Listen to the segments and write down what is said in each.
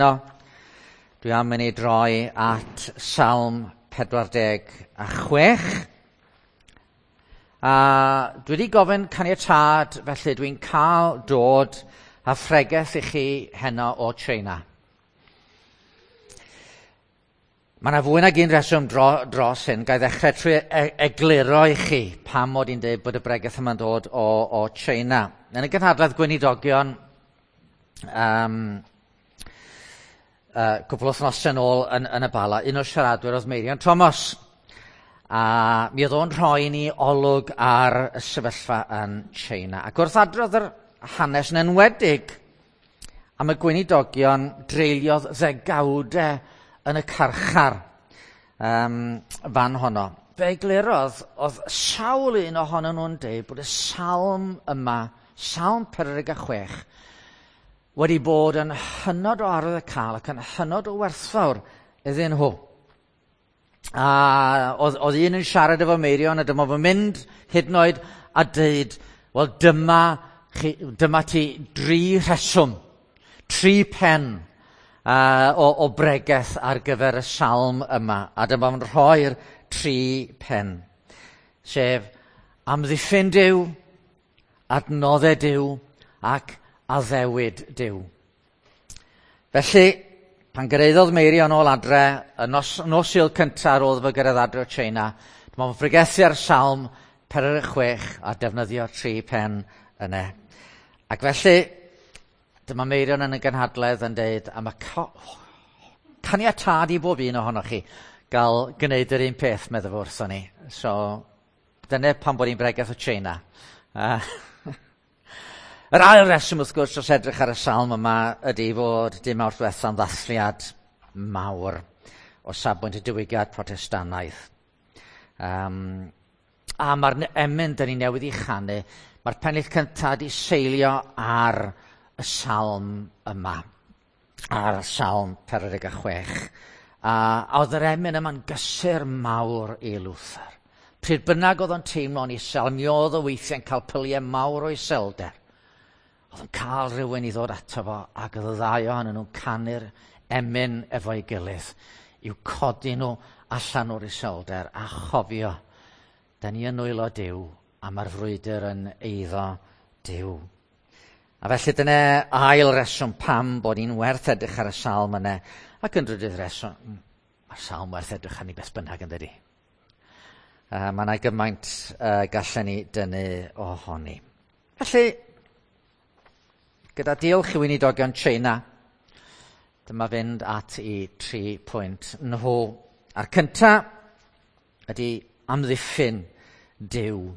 No, dwi am i ni droi at Salm 46. A dwi wedi gofyn caniatâd, felly dwi'n cael dod a phregeth i chi heno o China. Mae yna fwy nag un reswm dros hyn. Ga i ddechrau trwy egluro i chi pam mod i'n dweud bod y bregeth yma'n dod o China. Yn y gynhadledd gweinidogion, cwpl o wythnosau yn ôl yn y Bala, un o'r siaradwyr oedd Meirion Thomas. A mi oedd o'n rhoi ni olwg ar y sefyllfa yn China. Ac wrth adrodd yr hanes yn enwedig am y gweinidogion dreuliodd ddegawdau yn y carchar fan honno. Fe eglurodd, oedd sawl un ohonyn nhw'n deud bod y salm yma, Salm 46, wedi bod yn hynod o arwyddocaol ac yn hynod o werthfawr iddyn nhw. A oedd un yn siarad efo Meirion a dyma fo'n mynd hyd yn oed a deud, wel dyma ti dri rheswm, tri pen o bregeth ar gyfer y salm yma. A dyma fo'n rhoi'r tri pen, sef amddiffyn Duw, adnoddau Duw ac addewid Duw. Felly, pan gyrhaeddodd Meirion ôl adre, y nos Sul cyntaf ar ôl iddo fo gyrraedd adre o China, dyma fo'n pregethu ar Salm 46 a defnyddio tri pen yna. Ac felly, dyma Meirion yn y gynhadledd yn deud, am y caniatâd i bob un ohonoch chi gael gwneud yr un peth, meddwl fo wrthon ni. So, dyna pam bod hi'n bregeth o China. Yr ail reswm, wrth gwrs, os edrych ar y salm yma, ydy fod dim Mawrth diwetha'n ddathliad mawr o safbwynt y diwygiad Protestannaidd. A mae'r emyn dyn ni newydd i chanu, mae'r pennill cyntaf wedi seilio ar y salm yma, ar y Salm 46. A oedd yr emyn yma'n gysur mawr i Luther. Pryd bynnag oedd o'n teimlo'n isel, mi oedd o weithiau'n cael pyliau mawr o iselder. Oedd yn cael rhywun i ddod ato fo, ac oedd y ddau ohonyn nhw'n canu'r emyn efo'i gilydd i'w codi nhw allan o'r iselder a chofio, da ni yn nwylo Duw a mae'r frwydr yn eiddo Duw. A felly dyna ail reswm pam bod ni'n werth edrych ar y salm yna, ac yn drydydd reswm, mae'r salm werth edrych arni beth bynnag yn dydi. Mae yna gymaint gallen ni dynnu ohoni. Felly, gyda diolch i weinidogion China, dyma fynd at i 3 pwynt nhw. A'r cynta ydy amddiffyn Duw.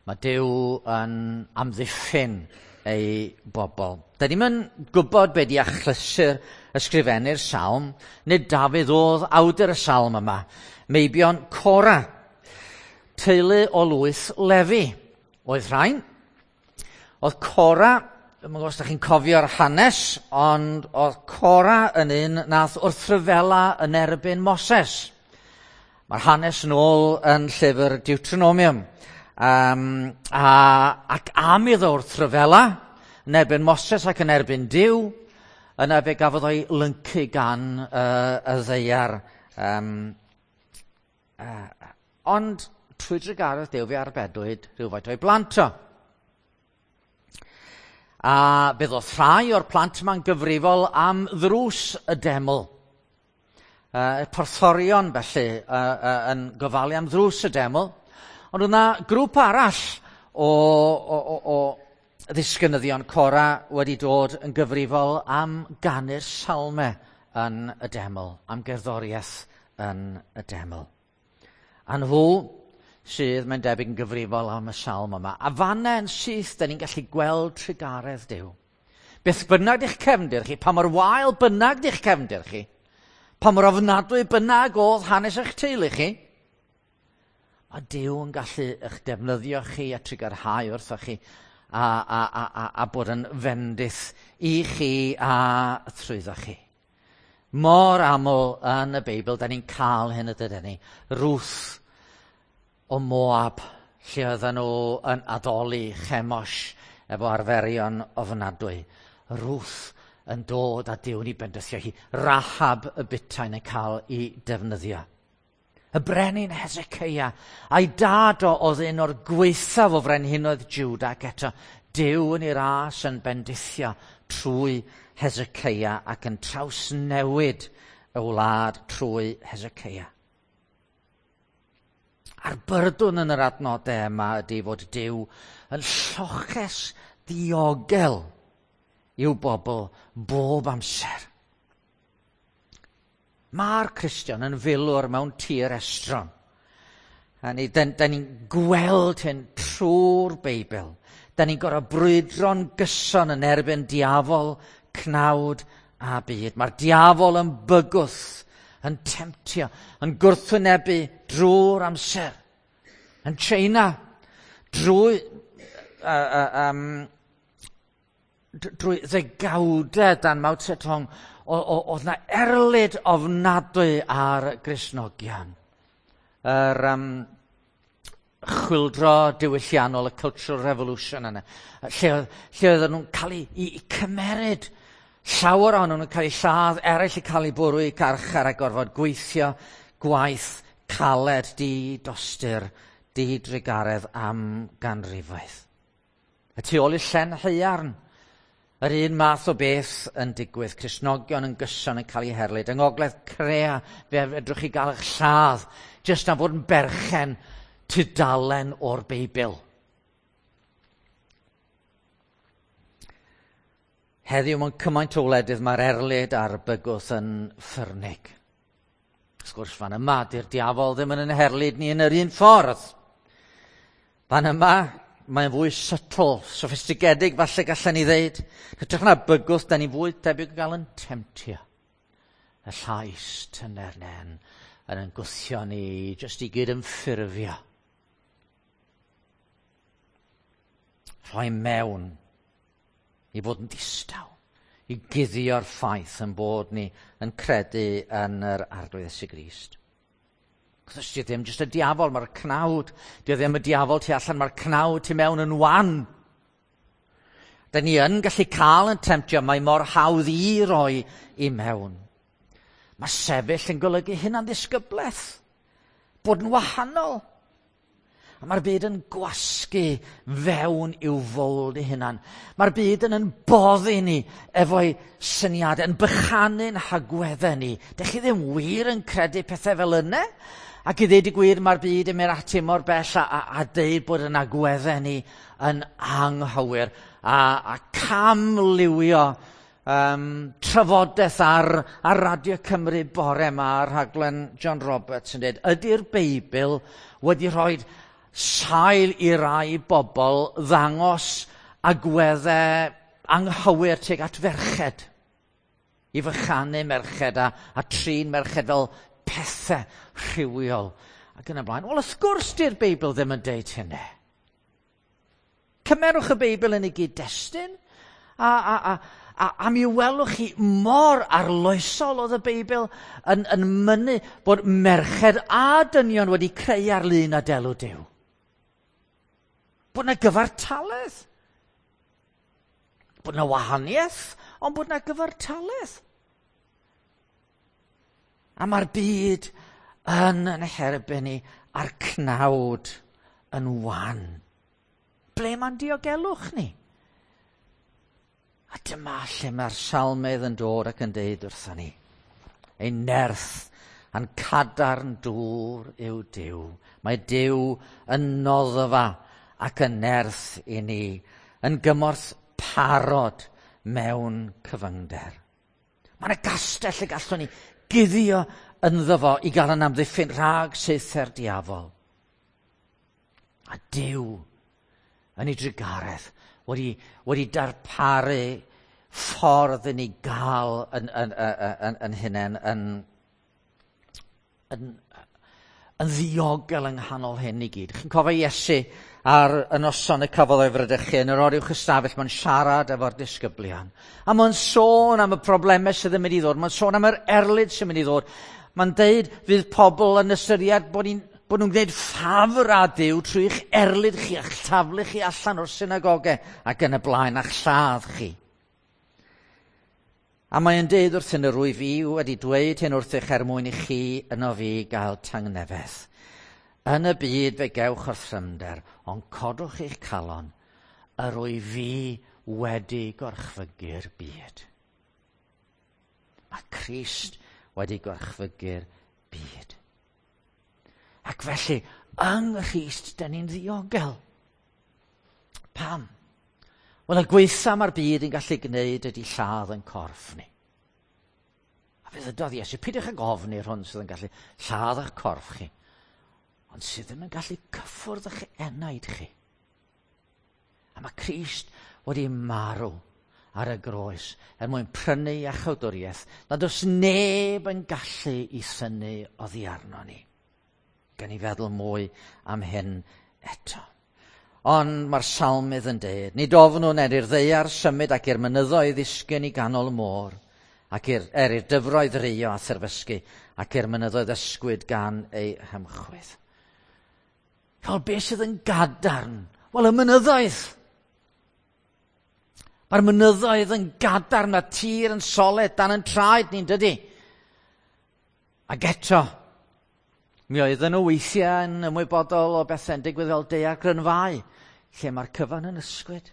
Mae Duw yn amddiffyn ei bobl. Da ni'm yn gwybod be di achlysur ysgrifennu'r salm, nid Dafydd oedd awdur y salm yma. Meibion Cora, teulu o lwyth Lefi, oedd rhain. Oedd Cora, dwi'm yn gwybod os da chi'n cofio'r hanes, ond oedd Cora yn un nath wrthryfela yn erbyn Moses. Mae'r hanes yn ôl yn llyfr Deuteronomium. Ac am iddo wrthryfela yn erbyn Moses ac yn erbyn Duw, yna fe gafodd o'i lyncu gan y ddaear. Ond trwy drugaredd Duw fe arbedwyd rhywfaint o'i blant o. A fe ddoth rhai o'r plant yma'n gyfrifol am ddrws y deml. Y porthorion felly yn gofalu am ddrws y deml. Ond oedd yna grŵp arall o ddisgynyddion Cora wedi dod yn gyfrifol am ganu'r salmau yn y deml, am gerddoriaeth yn y deml. A nhw sydd, mae'n debyg, yn gyfrifol am y salm yma. A fanna yn syth, da ni'n gallu gweld trugaredd Duw. Beth bynnag di'ch cefndir chi, pa mor wael bynnag di'ch cefndir chi, pa mor ofnadwy bynnag oedd hanes eich teulu chi, mae Duw yn gallu eich defnyddio chi a trugarhau wrthoch chi a bod yn fendith i chi a trwyddo chi. Mor aml yn y Beibl, da ni'n cael hyn y dydyn ni. Ruth o Moab, lle oedden nhw yn addoli Chemosh efo arferion ofnadwy. Ruth yn dod a Duw yn ei bendithio hi. Rahab y butain yn cael ei defnyddio. Y brenin Hezekiah, a'i dad o oedd un o'r gwaethaf o frenhinoedd Juda, ac eto Duw yn ei ras yn bendithio trwy Hezekiah ac yn trawsnewid y wlad trwy Hezekiah. A'r byrdwn yn yr adnodau yma ydy fod Duw yn lloches diogel i'w bobl bob amser. Mae'r Cristion yn filwr mewn tir estron. A ni, da ni'n gweld hyn trwy'r Beibl. Da ni'n gorfod brwydro'n gyson yn erbyn diafol, cnawd a byd. Mae'r diafol yn bygwth, yn temtio, yn gwrthwynebu drwy'r amser. Yn China, drwy ddegawdau dan Mao Zedong, oedd na erlid ofnadwy ar Gristnogion. Yr chwyldro diwylliannol, y Cultural Revolution yna, lle oedden nhw'n cael eu cymeryd. Llawer ohonyn nhw'n cael eu lladd, eraill yn cael eu bwrw i garchar a gorfod gweithio gwaith caled, di-dostur, di-drugaredd am ganrifoedd. Y tu ôl i'r llen haearn, yr un math o beth yn digwydd, Cristnogion yn gyson yn cael eu herlid. Yng Ngogledd Corea, fe fedrwch chi gael eich lladd, jyst am fod yn berchen tudalen o'r Beibl. Heddiw mewn cymaint o wledydd mae'r erlid a'r bygwth yn ffyrnig. Wrth gwrs, fan yma, di'r diafol ddim yn herlid ni yn yr un ffordd. Fan yma, mae'n fwy subtle, soffistigedig, falle gallen ni ddeud. Hytrach na bygwth, da ni fwy debyg o gael yn temtio. Y llais tyner nen yn gwthio ni, jyst i gyd yn ffurfio. Rhoi mewn i fod yn distaw, i guddio'r ffaith yn bod ni yn credu yn yr Arglwydd Iesu Grist. Achos di ddim jyst y diafol, mae'r cnawd. Di ddim y diafol tu allan, mae'r cnawd tu mewn yn wan. Da ni yn gallu cael yn temtio, mae mor hawdd i roi i mewn. Mae sefyll yn golygu hunan ddisgyblaeth, bod yn wahanol. A mae'r byd yn gwasgu fewn i'w fowld ei hunan. Mae'r byd yn boddi ni efo'i syniadau, yn bychanu'n hagweddau ni. Dych chi ddim wir yn credu pethau fel yna? Ac i ddeud y gwir, mae'r byd yn mynd ati mor bell a deud bod yn agweddau ni yn anghywir. A camliwio trafodaeth ar Radio Cymru bore yma, rhaglen John Roberts yn dweud, ydy'r Beibl wedi rhoi sail i rai bobl ddangos agweddau anghywir tuag at ferched, i fychanu merched a trin merched fel pethau rhywiol ac yn y blaen. Wel, wrth gwrs di'r Beibl ddim yn deud hynny. Cymerwch y Beibl yn ei gyd-destun a mi welwch chi mor arloesol oedd y Beibl yn mynnu bod merched a dynion wedi creu ar lun a delw Duw. Bod yna gyfartaledd. Bod yna wahaniaeth, ond bod yna gyfartaledd. A mae'r byd yn herbyn ni a'r cnawd yn wan. Ble mae'n diogelwch ni? A dyma lle mae'r salmydd yn dod ac yn deud wrthon ni. Ein nerth a'n cadarn dŵr yw Duw. Mae Duw yn noddfa ac yn nerth i ni, yn gymorth parod mewn cyfyngder. Mae yna gastell y gallwn ni guddio ynddo fo i gael yn amddiffyn rhag saethu'r diafol. A Duw yn ei drugaredd wedi darparu ffordd i ni gael yn hunain yn ddiogel yng nghanol hyn i gyd. Chi'n cofio Iesu ar y noson y cafodd o'i fradychu yn yr oruwch ystafell, mae'n siarad efo'r disgyblion. A mae'n sôn am y problemau sydd yn mynd i ddod, mae'n sôn am yr erlid sy'n mynd i ddod. Mae'n deud fydd pobl yn ystyried bod nhw'n gwneud ffafr â Duw trwy eich erlid chi a'ch taflu chi allan o'r synagogau ac yn y blaen a'ch lladd chi. A mae'n deud wrthyn yr wyf fi wedi dweud hyn wrthych er mwyn i chi yno fi gael tangnefedd. Yn y byd fe gewch orthrymder, ond codwch eich calon, yr wyf fi wedi gorchfygu'r byd. Mae Crist wedi gorchfygu'r byd. Ac felly, yng Nghrist, dyn ni'n ddiogel. Pam? Wel, y gweitha mae'r byd yn gallu gwneud ydy lladd yn corff ni. A fe ddydodd Iesu, peidiwch ag ofni'r hwn sydd yn gallu lladd eich corff chi, ond sydd ddim yn gallu cyffwrdd eich enaid chi. A mae Crist wedi marw ar y groes er mwyn prynu iachawdwriaeth nad oes neb yn gallu i synnu oddi arno ni. Gan i feddwl mwy am hyn eto. Ond mae'r salmydd yn dweud, nid ofnwn er i'r ddaear symud ac i'r mynyddoedd ddisgyn i ganol y môr, ac i'r, er i'r dyfroedd rio a therfysgu, ac i'r mynyddoedd ysgwyd gan ei hymchwydd. Fel beth sydd yn gadarn? Wel, y mynyddoedd. Mae'r mynyddoedd yn gadarn, mae tir yn soled dan yn traed ni'n dydy. Ac eto, mi oedden nhw weithiau yn ymwybodol o bethau'n digwydd fel daeargrynfâu, lle mae'r cyfan yn ysgwyd.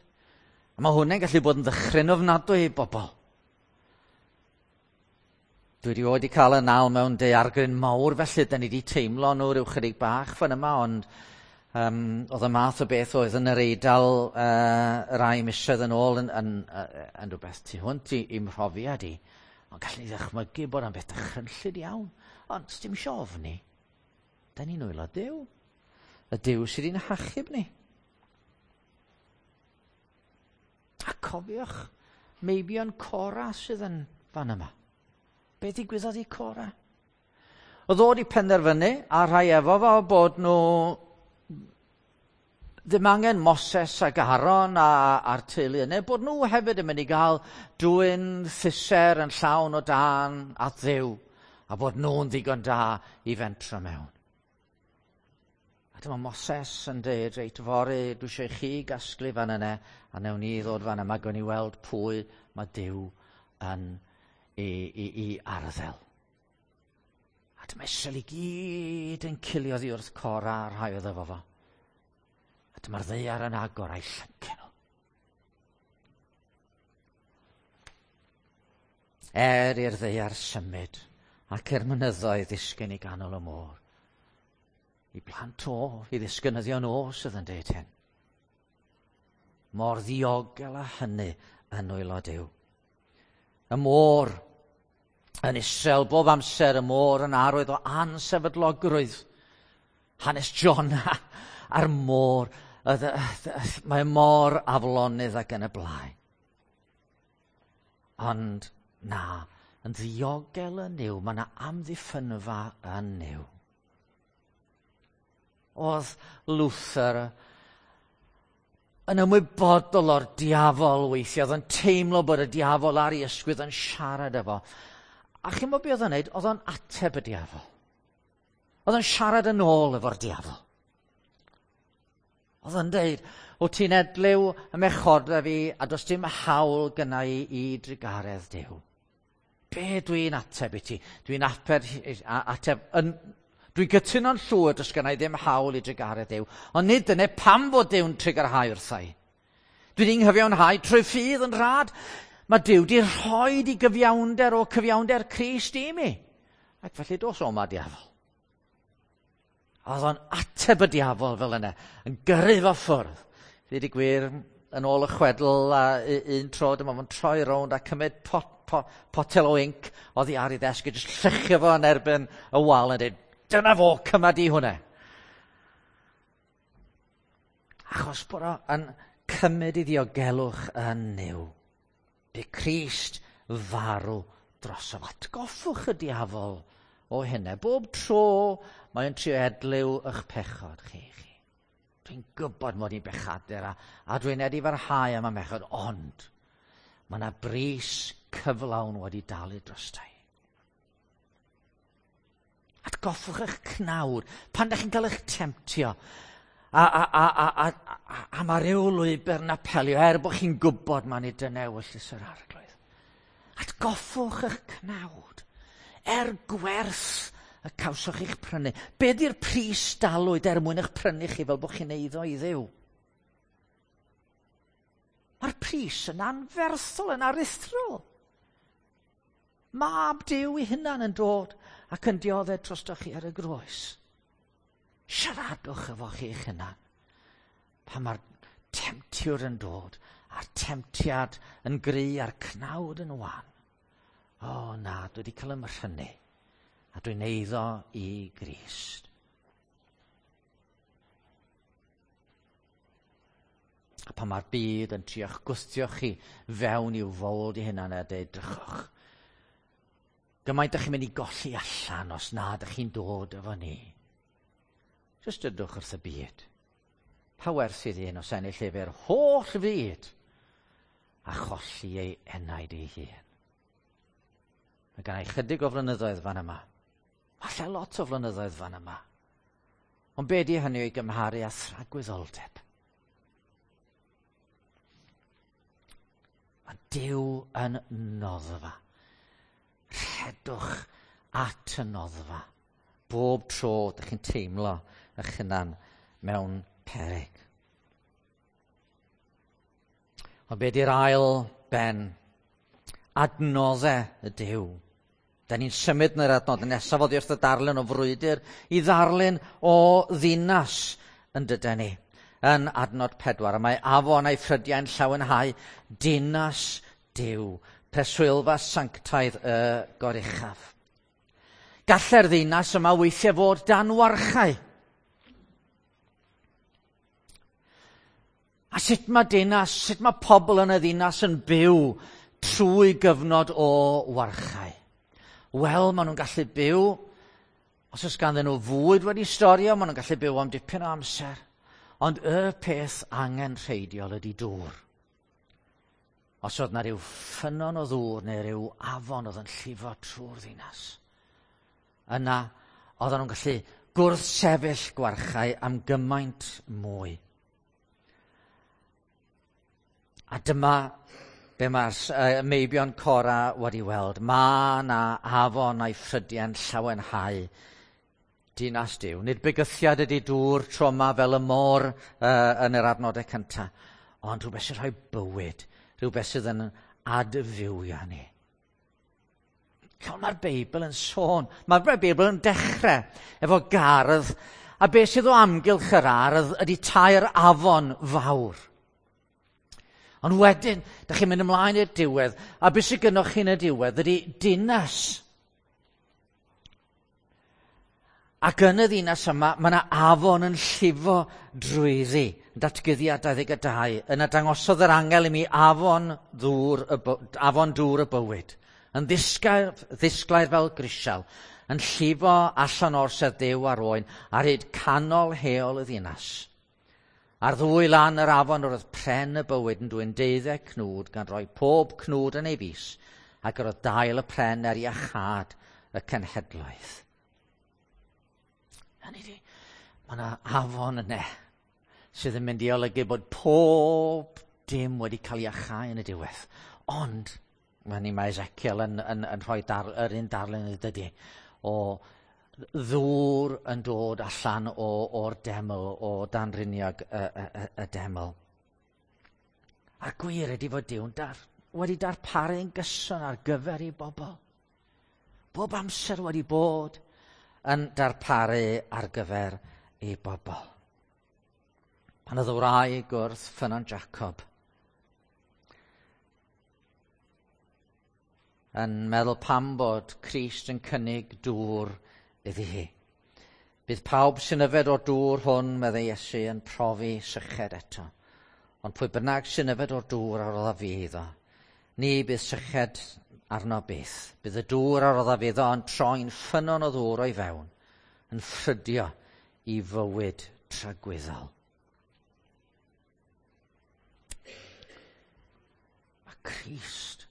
A mae hwnna'n gallu bod yn ddychryn ofnadwy i bobl. Dwi wedi wedi cael y nal mewn daeargryn mawr, felly da ni wedi teimlo nhw rhyw chydig bach fan yma, ond oedd y math o beth oedd yn yr Eidal rai misoedd yn ôl yn, yn, yn, yn rhywbeth tu hwnt i, i'm mhrofiad i. Ond gallwn ni ddychmygu bod o'n beth dychrynllyd iawn. Ond dim isio ofni. Da ni'n nwylo Duw. Y Duw sydd wedi'n hachub ni. A cofiwch, meibion Cora sydd yn fan yma. Be ddigwyddodd i Cora? Oedd o wedi penderfynu, a rhai efo fo, bod nhw ddim angen Moses ac Aaron a, a'r teulu yna, bod nhw hefyd yn mynd i gael dwyn thyser yn llawn o dan at Dduw, a bod nhw'n ddigon da i fentro mewn. A dyma Moses yn dweud, reit, fory, dwi eisiau i chi gasglu fan yna, a newn ni ddod fan yma, gwn i weld pwy mae Duw yn i, i, i arddel. A dyma Israel i gyd yn cilio oddi wrth Cora a'r rhai oedd efo fo. A dyma'r ddaear yn agor a'i llyncu nhw. Er i'r ddaear symud ac i'r mynyddoedd ddisgyn i ganol y môr. I blant o, i ddisgynyddion o sydd yn deud hyn. Mor ddiogel â hynny yn nwylo Duw. Y môr yn Israel bob amser, y môr yn arwydd o ansefydlogrwydd. Hanes Jonah a'r môr, mae mor aflonydd ac yn y blaen. Ond na, yn ddiogel yn Nuw, mae yna amddiffynfa yn Nuw. Oedd Luther yn ymwybodol o'r diafol weithiau, oedd yn teimlo bod y diafol ar ei ysgwydd yn siarad efo. A chi'n gwybod beth oedd o'n neud? Oedd o'n ateb y diafol. Oedd o'n siarad yn ôl efo'r diafol. Oedd o'n deud, o ti'n edliw ym mhechodau fi a does dim hawl gynna i i drugaredd Duw. Be dwi'n ateb i ti? Dwi'n ateb, ateb yn, dwi'n cytuno'n llwyr does gynna i ddim hawl i drugaredd Duw. Ond nid dyna pam fod Duw'n trugarhau wrtha i. Dwi wedi nghyfiawnhau trwy ffydd yn rhad. Mae Duw wedi rhoi i gyfiawnder o cyfiawnder Crist i mi. Ac felly dos o ma diafol. Oedd o'n ateb y diafol fel yna, yn gyrru fo ffwrdd. Ddweud y gwir, yn ôl y chwedl, a un tro dyma fo'n troi rownd a cymryd pot, pot, potel o inc oddi ar ei ddesg a jyst llychio fo yn erbyn y wal yn dweud, dyna fo, cyma di hwnna. Achos bod o yn cymryd i ddiogelwch yn Nuw. Bu Crist farw drosof. Atgoffwch y diafol o hynna. Bob tro mae'n trio edliw eich pechod chi. chi. Dwi'n gwybod mod i'n bechadur a, a dwi'n edifarhau am y mechod, ond mae yna bris cyflawn wedi dalu drosta i. Atgoffwch eich cnawd pan da chi'n cael eich temtio. A, a, a, a, a, a, a mae rhyw lwybr yn apelio, er bod chi'n gwybod mae nid dyna ewyllys yr arglwydd. Atgoffwch eich cnawd. Er gwerth y cawsoch eich prynu. Be di'r pris dalwyd er mwyn eich prynu chi fel bod chi'n eiddo i Dduw? Mae'r pris yn anferthol, yn aruthrol. Mab Duw ei hunan yn dod ac yn dioddef drostoch chi ar y groes. Siaradwch efo chi eich hunan. Pan mae'r temtiwr yn dod, a'r temtiad yn gry a'r cnawd yn wan. O na, dwi wedi cael 'y mhrynu, a dwi'n eiddo i Grist. A pan mae'r byd yn trio'ch gwthio chi fewn i'w fold i hunan a dweud, drychwch, gymaint ydych chi'n mynd i golli allan os na ydych chi'n dod efo ni. Jyst dydwch wrth y byd. Pa werth sydd un os ennill efo'r holl fyd a cholli ei enaid ei hun? Mae gen i chydig o flynyddoedd fan yma. Falle lot o flynyddoedd fan yma. Ond be di hynny o'i gymharu â thragwyddoldeb? Mae Duw yn noddfa. Rhedwch at y noddfa. Bob tro ydych chi'n teimlo eich hunan mewn peryg. Ond be di'r ail ben? Adnoddau y Duw. Da ni'n symud yn yr adnod nesaf oddi wrth y darlun o frwydr i ddarlun o ddinas yn dyden ni. Yn adnod 4, a mae afon a'i ffrydiau'n llawenhau dinas Duw, preswylfa sanctaidd y goruchaf. Gallai'r ddinas yma weithiau fod dan warchau. A sut mae dinas, sut mae pobl yn y ddinas yn byw trwy gyfnod o warchau? Wel, maen nhw'n gallu byw, os oes ganddyn nhw fwyd wedi storio, maen nhw'n gallu byw am dipyn o amser. Ond y peth angenrheidiol ydy dŵr. Os oedd na rhyw ffynnon o ddŵr neu rhyw afon oedd yn llifo trwy'r ddinas, yna oedden nhw'n gallu gwrthsefyll gwarchau am gymaint mwy. A dyma be mae'r meibion Cora wedi weld. Mae na afon a'i ffrydiau'n llawenhau dinas Duw. Nid bygythiad ydy dŵr tro yma fel y môr yn yr adnodau cyntaf, ond rhywbeth sy'n rhoi bywyd, rhywbeth sydd yn adfywio ni. Cael mae'r Beibl yn sôn, mae'r Beibl yn dechrau efo gardd, a beth sydd o amgylch yr ardd ydy tair afon fawr. Ond wedyn, da chi'n mynd ymlaen i'r diwedd, a beth sydd gynnwch chi yn y diwedd ydy dinas. Ac yn y ddinas yma, mae yna afon yn llifo drwyddi, yn Datguddiad 22. Yna dangosodd yr angel i mi afon dŵr y, afon dŵr y bywyd, yn ddisglair fel grisial, yn llifo allan o'r sedd Duw a'r oen, ar hyd canol heol y ddinas. Ar ddwy lan yr afon yr oedd pren y bywyd yn dwyn 12 cnwd, gan roi pob cnwd yn ei fus, ac yr oedd dail y pren er iachâd y cenhedloedd. Hynny ydi, mae yna afon yna sydd yn mynd i olygu bod pob dim wedi cael ei achau yn y diwedd. Ond, mae Ezekiel yn rhoi yr un darlun yn dydy, o ddŵr yn dod allan o'r deml, o danriniog y deml. A'r gwir ydy fod Duw'n wedi darparu'n gyson ar gyfer ei bobl. Bob amser wedi bod yn darparu ar gyfer ei bobl. Pan oedd y wraig wrth ffynnon Jacob yn meddwl pam bod Crist yn cynnig dŵr iddi hi. Bydd pawb sy'n yfed o'r dŵr hwn, meddai Iesu, yn profi syched eto. Ond pwy bynnag sy'n yfed o'r dŵr a rodda fi iddo, ni bydd syched arno byth. Bydd y dŵr a rodda fi iddo yn troi'n ffynnon o ddŵr o'i fewn, yn ffrydio i fywyd tragwyddol. Mae Crist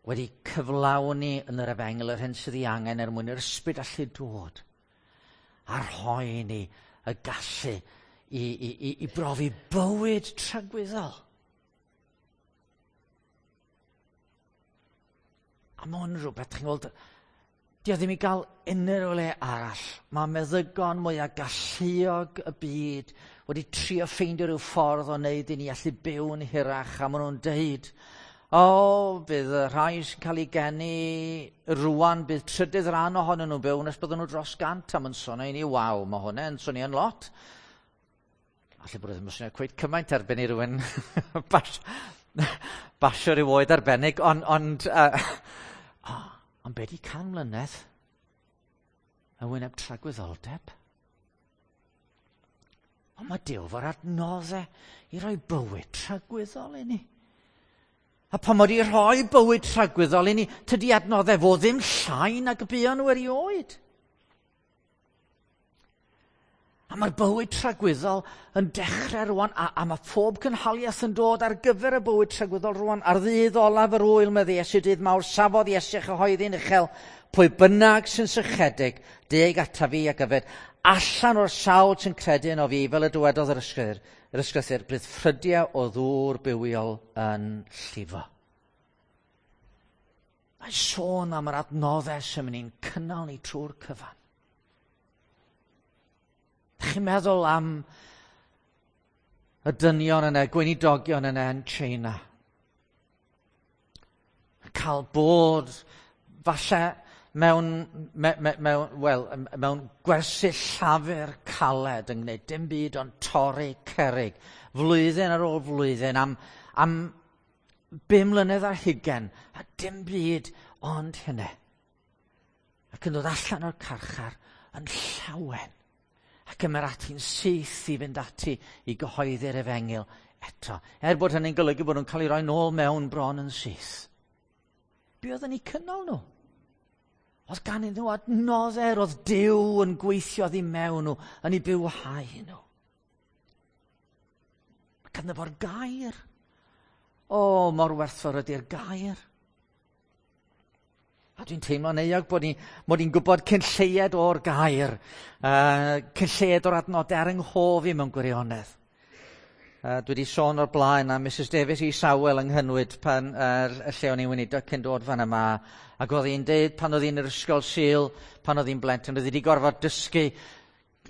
wedi cyflawni yn yr efengyl yr hyn sydd ei angen er mwyn i'r ysbryd allu dod a rhoi ni y gallu i brofi bywyd tragwyddol. A mae hwn yn rhywbeth, chi'n gweld, di o ddim i gael unrhyw le arall. Mae meddygon mwyaf galluog y byd wedi trio ffeindio rhyw ffordd o wneud i ni allu byw yn hirach, a maen nhw'n deud, o, bydd y rhai sy'n cael ei geni rwan, bydd trydydd rhan ohonyn nhw'n byw nes bydden nhw dros 100, a mae'n swnio i ni, waw, mae hwnna'n swnio'n lot. Alle bod e ddim yn swnio cweit cymaint erbyn i rywun basio rhyw oed arbennig, ond be di 100 mlynedd yn wyneb tragwyddoldeb? Ond mae Duw fo'r adnoddau i roi bywyd tragwyddol i ni. A pan mod i rhoi bywyd tragwyddol i ni, tydi adnoddau fo ddim llai nag y buon nhw erioed. A mae'r bywyd tragwyddol yn dechrau rwan, a mae pob cynhaliaeth yn dod ar gyfer y bywyd tragwyddol rwan. Ar ddydd olaf yr wyl, medde Iesu, dydd mawr, safodd Iesu a chyhoeddi'n uchel, pwy bynnag sy'n sychedig, deg ata fi ac yfed, allan o'r sawl sy'n credu yno fi, fel y dywedodd yr ysgrythur, bydd ffrydiau o ddŵr bywiol yn llifo. Mae sôn am yr adnoddau sy'n mynd i'n cynnal ni trwy'r cyfan. Chi'n meddwl am y dynion yna, gweinidogion yna yn China. Cael bod falle mewn gwersyll llafur caled yn gwneud dim byd ond torri cerrig, flwyddyn ar ôl flwyddyn, am 5 mlynedd ar hugain, a dim byd ond hynny. Ac yn dod allan o'r carchar yn llawen. Ac ymyr ati'n syth i fynd ati i gyhoeddi'r efengyl eto. Er bod hynny'n golygu bod nhw'n cael ei roi nôl mewn bron yn syth. Be oedd yn eu cynnal nhw? Oedd gan nhw adnoddau, oedd Duw yn gweithio oddi mewn nhw, yn eu bywhau nhw. Mae ganddo fo'r gair. O, mor werthfawr ydy'r gair. A dwi'n teimlo'n euog bod i'n gwybod cyn lleied o'r gair, cyn lleied o'r adnodau ar yng nghof i mewn gwirionedd. Dwi wedi sôn o'r blaen am Mrs Davies i Sawel yng Nghynwyd pan y lle o'n i'n weinidog cyn dod fan yma, ac oedd hi'n deud pan oedd hi'n yr ysgol Sul, pan oedd hi'n blentyn, oedd hi wedi gorfod dysgu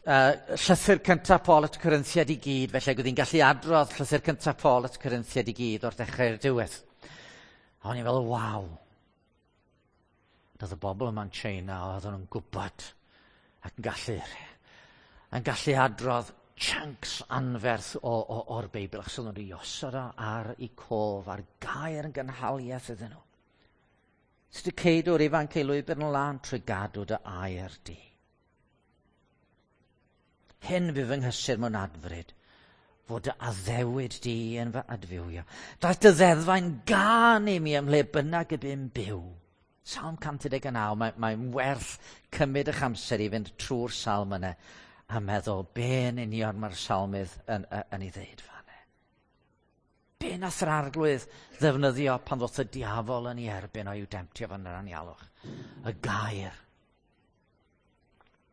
llythyr cyntaf Paul at y Corinthiaid i gyd, felly oedd hi'n gallu adrodd llythyr cyntaf Paul at y Corinthiaid i gyd o'r dechrau i'r diwedd. A o'n i'n fel, waw. Doedd y bobl yma'n China, oedden nhw'n gwybod ac yn gallu adrodd chunks anferth o'r Beibl, achos oedden nhw wedi osod o ar eu cof, a'r gair yn gynhaliaeth iddyn nhw. Sut y ceidw'r ifanc ei lwybr yn lân trwy gadw dy air di. Hyn fydd fy nghysur mewn adfryd, fod dy addewid di yn fy adfywio. Daeth dy ddeddfau'n gân i mi ym mhle bynnag y bu'n byw. Salm 119, mae'n werth cymryd eich amser i fynd trwy'r salm yna a meddwl be yn union mae'r salmydd yn ei ddeud fan. Be nath yr arglwydd ddefnyddio pan ddoth y diafol yn ei erbyn o'i demtio fan yr anialwch? Y gair.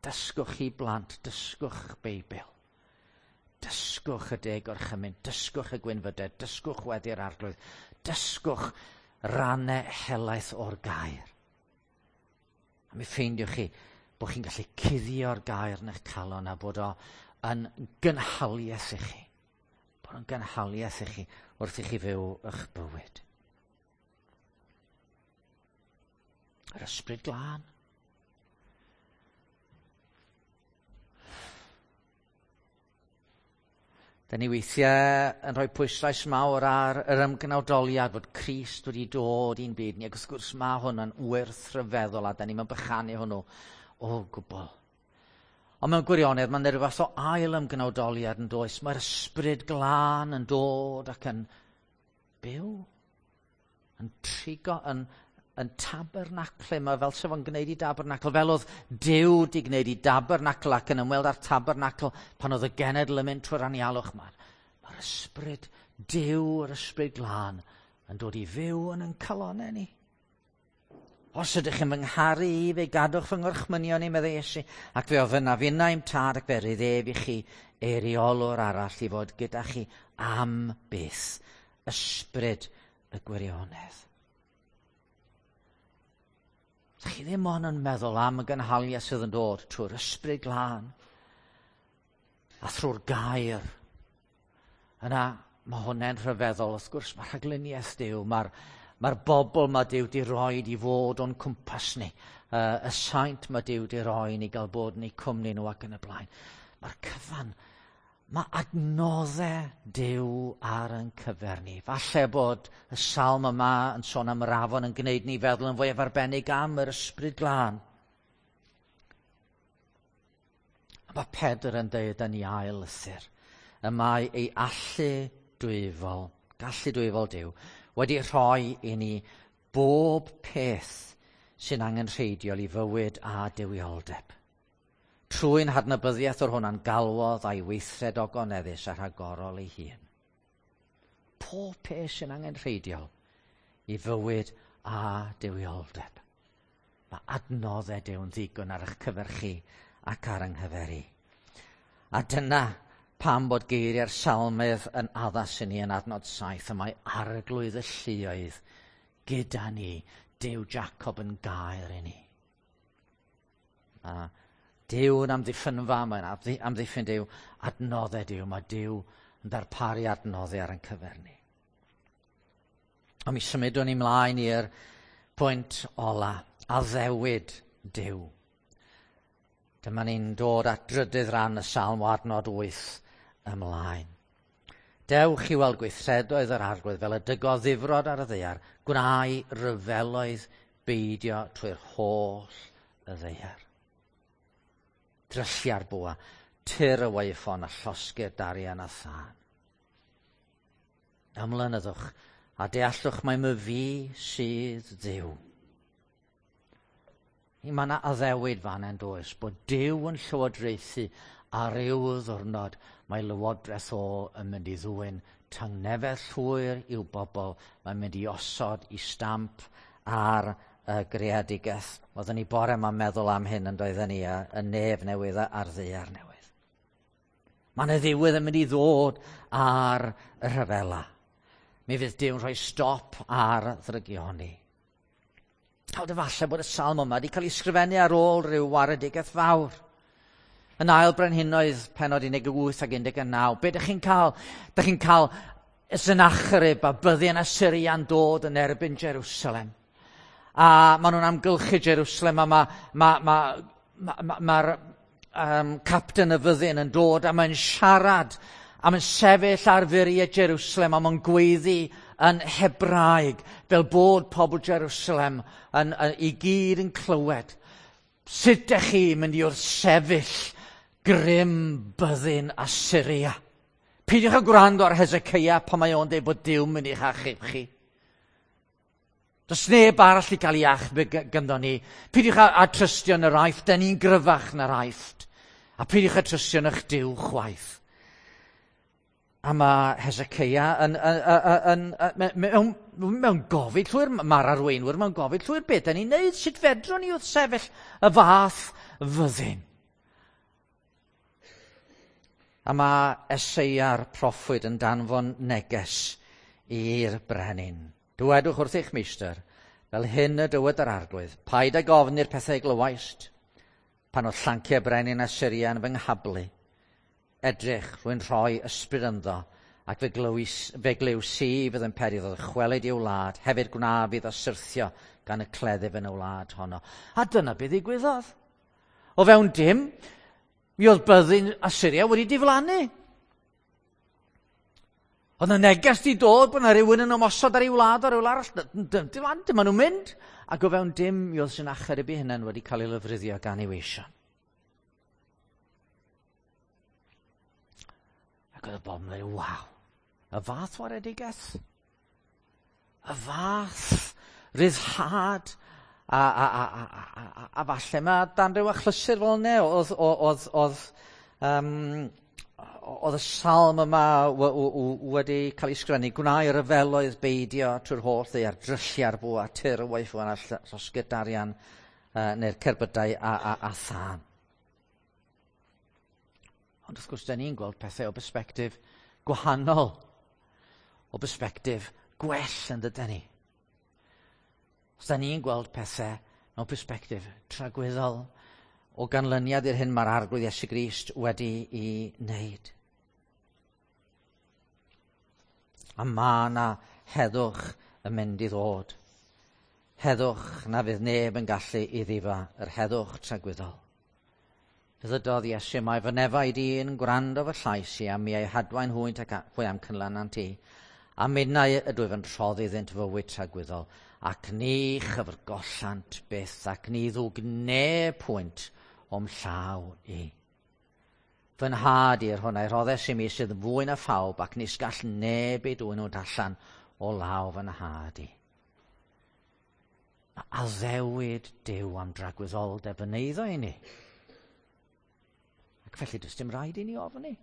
Dysgwch chi blant, dysgwch Beibl. Dysgwch y deg orchymyn, dysgwch y gwynfydau, dysgwch weddi'r arglwydd, dysgwch rannau helaeth o'r gair. A mi ffeindiwch chi bod chi'n gallu cuddio'r gair yn eich calon a bod o yn gynhaliaeth i chi. Bod o'n gynhaliaeth i chi wrth i chi fyw eich bywyd. Yr ysbryd glân. Da ni weithiau yn rhoi pwyslais mawr ar yr ymgnawdoliad fod Crist wedi dod i'n byd ni, ac wrth gwrs mae hwn yn wrthryfeddol a da ni'n bychanu hwnnw o gwbl. Ond mewn gwirionedd mae'n rhyw fath o ail ymgnawdoliad yn does. Mae'r ysbryd glân yn dod ac yn byw, yn trigo, yn tabernaclu. Mae fel sef o'n gwneud i dabernacl, fel oedd Duw di gwneud i dabernacl ac yn ymweld â'r tabernacl pan oedd y genedl yn mynd trwy'r anialwch. Mae'r ysbryd Duw, yr ysbryd glân, yn dod i fyw yn ein calonnau ni. Os ydych chi'n fy ngharu i, fe gadwch fy ngorchmynion i, meddai Iesu, ac fe ofynnaf innau i'm tad ac fe rydd ef i chi eiriolwr arall i fod gyda chi am byth, ysbryd y gwirionedd. chi ddim ond yn meddwl am y gynhaliaeth sydd yn dod trwy'r Ysbryd Glân a thrwy'r gair, yna mae hwnna'n rhyfeddol. Wrth gwrs, mae rhagluniaeth Duw, mae'r bobl mae Duw di roed i fod o'n cwmpas ni, y saint mae Duw di roi ni gael bod yn eu cwmni nhw ac yn y blaen. Mae'r cyfan, mae adnoddau Duw ar yn cyfer ni. Falle bod y salm yma yn sôn am yr afon yn gwneud ni feddwl yn fwyaf arbennig am yr Ysbryd Glân. A mae Pedr yn dweud yn ei ail lythyr, y mae ei allu dwyfol, gallu dwyfol Duw, wedi rhoi i ni bob peth sy'n angenrheidiol i fywyd a duwioldeb. Trwy'n hadnabyddiaeth o'r hwnna'n galwodd a'i weithred ogoneddus a rhagorol ei hun. Pob peth sy'n angenrheidiol i fywyd a duwioldeb. Mae adnoddau Duw'n ddigon ar eich cyfer chi ac ar yng nghyfer i. A dyna pam bod geiriau'r salmydd yn addas i ni yn adnod 7, y mae Arglwydd y lluoedd gyda ni, Duw Jacob yn gair i ni. A Duw yn amddiffynfa, mae'n amddiffyn Duw, adnoddau Duw, mae Duw yn darparu adnoddau ar ein cyfer ni. A mi symudwn ni mlaen i'r pwynt ola, addewid Duw. Dyma ni'n dod at drydydd rhan y salm o adnod 8 ymlaen. Dewch i weld gweithredoedd yr Arglwydd fel y dygodd ddifrod ar y ddaear, gwnai ryfeloedd beidio trwy'r holl y ddaear. Dryllia'r bwa, tyr y waywffon a llosgi'r darian a thân. Ymlynyddwch a deallwch mai myfi sydd Dduw. I mae yna addewid fan yn does, bod Duw yn llywodraethu ar ryw ddiwrnod mae lywodraeth o yn mynd i ddwyn tangnefedd llwyr i'w bobl, mae'n mynd i osod i stamp ar y greadigaeth. Oedden ni bore yma'n meddwl am hyn yn doedden ni, y nef newydd a'r ddaear newydd. Mae yna ddiwedd yn mynd i ddod ar y rhyfela. Mi fydd Duw'n rhoi stop ar ddrygioni. Nawr falle bod y salm yma wedi cael ei sgrifennu ar ôl rhyw waredigaeth fawr. Yn ail Brenhinoedd pennod 18 ac 19, be ydych chi'n cael? Ydych chi'n cael Sennacherib a byddin Assyria'n dod yn erbyn Jerusalem. A maen nhw'n amgylchu Jerusalem a mae'r capten y fyddin yn dod a mae'n siarad a mae'n sefyll ar furiau Jerusalem a mae'n gweiddi yn Hebraeg fel bod pobl Jerusalem i gyd yn clywed. Sut ydych chi'n mynd i wrthsefyll grym byddin Assyria? Peidiwch â gwrando ar Hezekiah pan mae o'n dweud bod Duw mynd i'ch achub chi. Does neb arall i gael ei achub ganddo ni. Peidiwch â trystio yn yr Aifft, da ni'n gryfach na'r Aifft. A peidiwch â trystio yn eich Duw chwaith. A mae Hezekiah mewn gofid llwyr, mae'r arweinwyr mewn gofid llwyr, beth da ni'n neud, sut fedrwn ni wrthsefyll y fath fyddin? A mae Eseia'r proffwyd yn danfon neges i'r brenin. Dywedwch wrth eich meistr, fel hyn y dywed yr Arglwydd, paid ag ofn i'r pethau glywaist, pan oedd llanciau brenin Assyria yn fy nghablu. Edrych, rwy'n rhoi ysbryd ynddo, ac fe glyw si fydd yn peri iddo ddychwelyd i'w wlad, hefyd gwna fydd o syrthio gan y cleddyf yn y wlad honno. A dyna beth ddigwyddodd. O fewn dim, mi oedd byddin Assyria wedi diflannu. Oedd yna neges di dod bod yna rhywun yn ymosod ar ei wlad ar rywle arall. Diflannu, dyma nhw'n mynd. Ac o fewn dim, mi oedd Sennacherib ei hunan wedi cael ei lofruddio gan ei weision. Ac oedd y bobl yn dweud, waw, y fath waredigaeth, y fath ryddhad, a falle mae dan ryw achlysur fel yna, oedd y salm yma wedi cael ei sgrifennu, gwnai ryfeloedd beidio trwy'r holl ddaear, dryllia'r bwa, tyr y waywffon a llosgi'r darian neu'r cerbydau a thân. Ond wrth gwrs, da ni'n gweld pethau o bersbectif gwahanol, o bersbectif gwell yn dydyn ni. Os da ni'n gweld pethau Mewn perspectif tragwyddol o ganlyniad i'r hyn mae'r Arglwydd Iesu Grist wedi i wneud. A mae yna heddwch yn mynd i ddod. Heddwch na fydd neb yn gallu i ddifa, yr heddwch tragwyddol. Ddydodd Iesu, mae fy nefaid i'n gwrando fy llais i, a mi ei hadwain hwynt ac hwy am cynlanant i. A minnau ydw i yn rhoddi iddynt fywyd tragwyddol, ac ni chyfrgollant byth, ac ni ddwg neb pwynt o'm llaw i. Fy nhad i'r hwn a'i rhoddes i mi sydd fwy na phawb, ac nis gall neb ei dwyn nhw allan o law fy nhad i. Mae addewid Duw am dragwyddoldeb yn eiddo i ni. Ac felly does dim rhaid i ni ofni.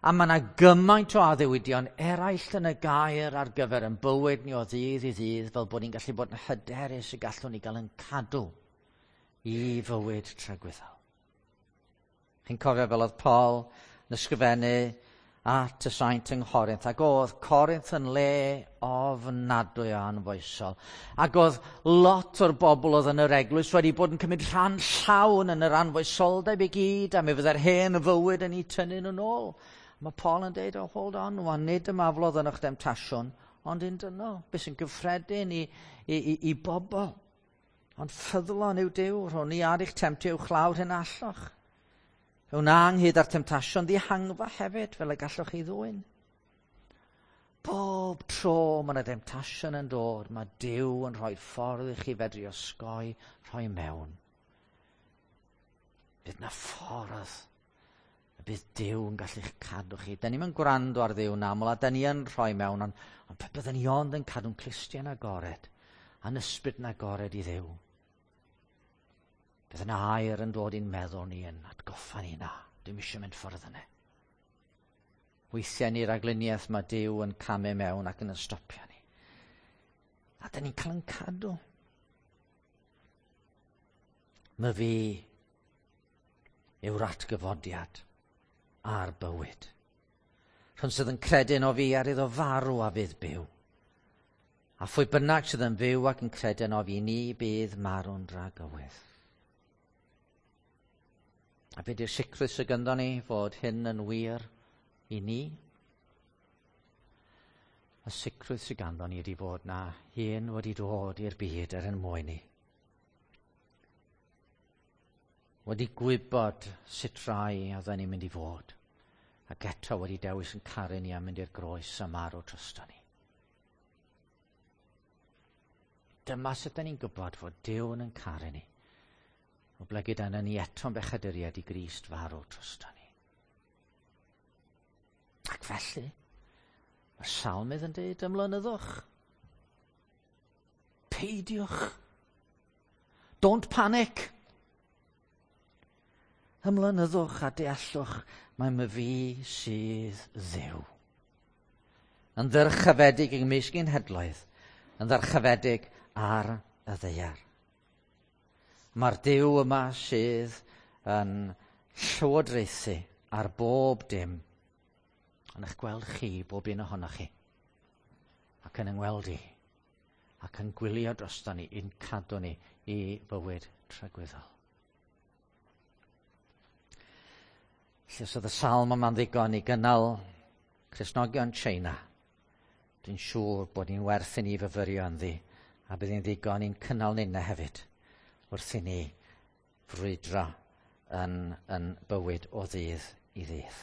A mae yna gymaint o addewidion eraill yn y gair ar gyfer yn bywyd ni o ddydd i ddydd, fel bod ni'n gallu bod yn hyderus y gallwn ni gael yn cadw i fywyd tragwyddol. Chi'n cofio fel oedd Paul yn ysgrifennu at y saint yng Nghorinth, ac oedd Corinth yn le ofnadwy o anfoesol. Ac oedd lot o'r bobl oedd yn yr eglwys wedi bod yn cymryd rhan llawn yn yr anfoesoldeb i gyd, a mi fydde'r hen fywyd yn eu tynnu nhw'n ôl. Mae Paul yn deud, oh, hold on, wan, nid ymaflodd yn eich demtasiwn, ond un dynol, beth sy'n gyffredin i, i, i, i bobl. Ond ffyddlon yw Duw, rhwng ni ar eich temtio uwchlaw'r hyn allwch. Fe wna ynghyd â'r temtasiwn ddihangfa hefyd, fel y gallwch chi ddwyn. Bob tro mae yna demtasiwn yn dod, mae Duw yn rhoi ffordd i chi fedru osgoi rhoi mewn. Bydd na ffordd y bydd Duw yn gallu'ch cadw chi. Da ni'n gwrando ar Dduw yn aml, a da ni yn rhoi mewn, ond, ond pe byddwn ni ond yn cadw'n clustiau'n agored, a'n ysbryd yn agored i Dduw. Bydd yna air yn dod i'n meddwl ni yn atgoffa ni na, dwi'n eisiau mynd ffordd yna. Weithiau ni ragluniaeth mae Duw yn camu mewn ac yn ystopio ni. A dyn ni'n cael yn cadw. Mae fi yw'r atgyfodiad a'r bywyd. Rhwng sydd yn credu o fi ar iddo farw a fydd byw. A phwy bynnag sydd yn fyw ac yn credu o fi, ni bydd marw'n dragywydd. A be di'r sicrwydd sydd gynddon ni fod hyn yn wir i ni? Y sicrwydd sydd ganddo ni ydy fod na hyn wedi dod i'r byd er yn mwyn ni. Wedi gwybod sut rai oedden ni'n mynd i fod. Ac eto wedi dewis yn caru ni a mynd i'r groes a marw drosto ni. Dyma sut da ni'n gwybod fod Duw yn caru ni. O blegid yna ni eto'n bechaduriad i Grist farw drosto ni. Ac felly, mae'r salmydd yn dweud ymlynyddwch. Peidiwch. Don't panic. Ymlynyddwch a deallwch mae my fi sydd Dduw. Yn ddyrchafedig yng mysg genhedloedd, yn ddyrchafedig ar y ddaear. Mae'r Duw yma sydd yn llywodraethu ar bob dim yn eich gweld chi, bob un ohonoch chi, ac yn yngweld i, ac yn gwylio drosto ni, i'n cadw ni i fywyd tragwyddol. Felly os oedd y salm yma'n ddigon i gynnal Cristnogion China, dwi'n siŵr bod ni'n werth i ni fyfyrio ynddi, a bydd hi'n ddigon i'n cynnal ninna hefyd wrth i ni frwydro yn, yn bywyd o ddydd i ddydd.